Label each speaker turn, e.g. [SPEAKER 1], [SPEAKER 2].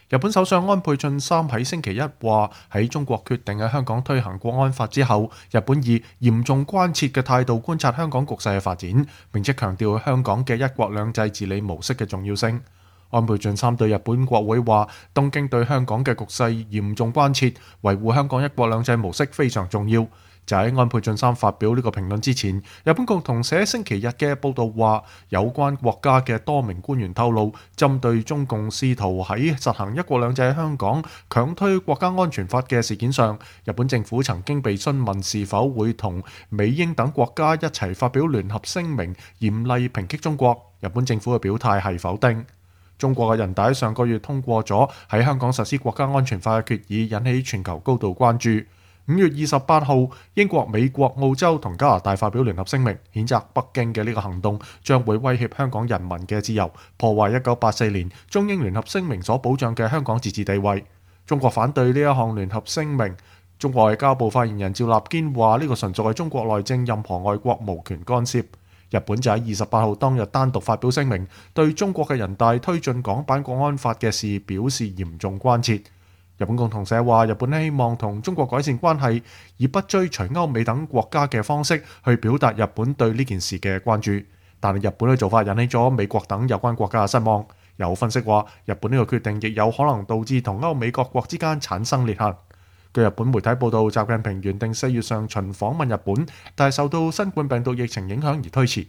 [SPEAKER 1] 日本首相安倍晉三喺星期一話，喺中國決定喺香港推行國安法之後，日本以嚴重關切嘅態度觀察香港局勢嘅發展，並且強調香港嘅一國兩制治理模式嘅重要性。安倍晉三對日本國會話，東京對香港嘅局勢嚴重關切，維護香港一國兩制模式非常重要。就喺安倍晉三發表呢個評論之前，日本共同社星期日嘅報導話，有關國家嘅多名官員透露，針對中共試圖喺實行一國兩制喺香港強推國家安全法嘅事件上，日本政府曾經被詢問是否會同美英等國家一齊發表聯合聲明，嚴厲抨擊中國。日本政府嘅表態係否定。中國嘅人大上個月通過咗喺香港實施國家安全法嘅決議，引起全球高度關注。5月28號，英國、美國、澳洲同加拿大發表聯合聲明，譴責北京嘅呢個行動將會威脅香港人民嘅自由，破壞1984年中英聯合聲明所保障嘅香港自治地位。中國反對呢一項聯合聲明。中國外交部發言人趙立堅話：呢個純屬係中國內政，任何外國無權干涉。日本就喺28號當日單獨發表聲明，對中國嘅人大推進港版國安法嘅事表示嚴重關切。日本共同社話，日本希望同中國改善關係，以不追隨歐美等國家嘅方式去表達日本對呢件事嘅關注。但係日本嘅做法引起咗美國等有關國家嘅失望。有分析話，日本呢個決定亦有可能導致同歐美各國之間產生裂痕。據日本媒體報道，習近平原定4月上旬訪問日本，但係受到新冠病毒疫情影響而推遲。